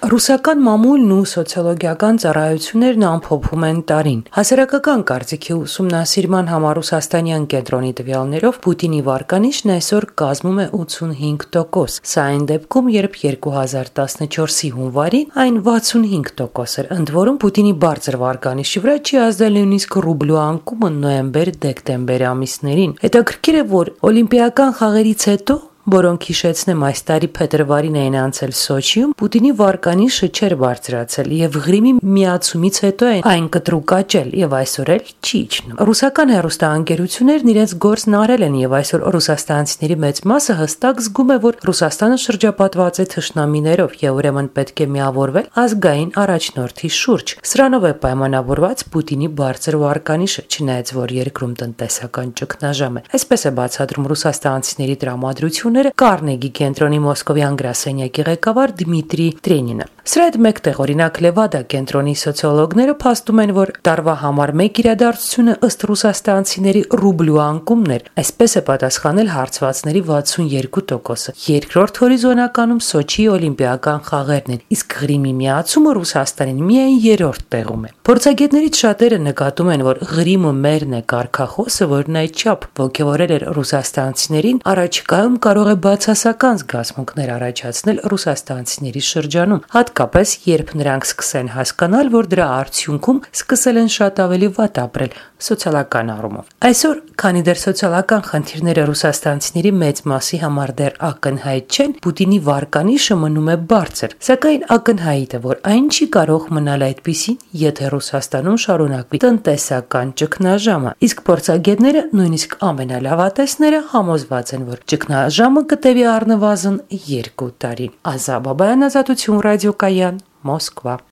Ռուսական մամուլն ու սոցիոլոգիական ծառայություններն ամփոփում են տարին։ Հասարակական կարծիքի ուսումնասիրման համար Ռուսաստանյան կենտրոնի տվյալներով Պուտինի վարկանիշն այսօր կազմում է 85%։ Սա այն դեպքում, երբ 2014-ի հունվարին այն 65% էր, ընդ որում Պուտինի բարձր վարկանիշի վրա չի ազդել նույնիսկ ռուբլու անկումը նոյեմբեր-դեկտեմբեր ամիսներին։ Հետաքրքիր է, որ օլիմպիական խաղերից հետո, որոնք հիշեցնեմ այս տարի փետրվարին էին անցել Սոչիում, Պուտինի վարկանիշը չէր բարձրացել եւ Ղրիմի միացումից հետո այն կտրուկ աճել եւ այսօր էլ չի իջնում։ Ռուսական հեռուստաընկերություններն իրենց գործն արել են եւ այսօր ռուսաստանցիների մեծ մասը հստակ զգում է, որ Ռուսաստանը շրջապատված է թշնամիներով եւ ուրեմն պետք է միավորվել ազգային առաջնորդի շուրջ։ Սրանով է պայմանավորված Պուտինի բարձր վարկանիշը, չնայած որ երկրում տնտեսական ճգնաժամ է։ Այսպես է բացատրում ռուսաստանցիների տրամադրությունը Կարնեգի կենտրոնի մոսկովյան գրասենյակի ղեկավար Դմիտրի Տրենինը։ Սրա հետ մեկտեղ օրինակ Լևադա կենտրոնի սոցիոլոգները փաստում են, որ տարվա համար մեկ իրադարձությունը ըստ ռուսաստանցիների ռուբլու անկումն էր, այսպես է պատասխանել հարցվածների 62%-ը։ Երկրորդ հորիզոնականում Սոչիի օլիմպիական խաղերն են, իսկ Ղրիմի միացումը Ռուսաստանին միայն երրորդ տեղում է։ Փորձագետներից շատերը նկատում են, որ Ղրիմը մերն է կարգախոսը, որն այդչափ ոգևորել էր ռուսաստանցիներին, առաջիկայում կարող է բացասական զգացմունքներ առաջացնել ռուսաստանցիների շրջանում, հատկապես երբ նրանք սկսեն հասկանալ, որ դրա արդյունքում սկսել են շատ ավելի վատ ապրել սոցիալական առումով։ Այսօր, քանի դեռ սոցիալական խնդիրները ռուսաստանցիների մեծ մասի համար դեռ ակնհայտ չեն, Պուտինի վարկանիշը մնում է բարձր, սակայն ակնհայտ է, որ այն չի կարող մնալ այդպիսին, եթե Ռուսաստանում շարունակվի տնտեսական ճգնաժամը, իսկ փորձագետները, նույնիսկ ամենալավատեսները համոզված են, որ ճգնաժամը կտևի առնվազն 2 տարի։ Ազա Բաբայան, Ազատություն ռադիոկայան, Մոսկվա։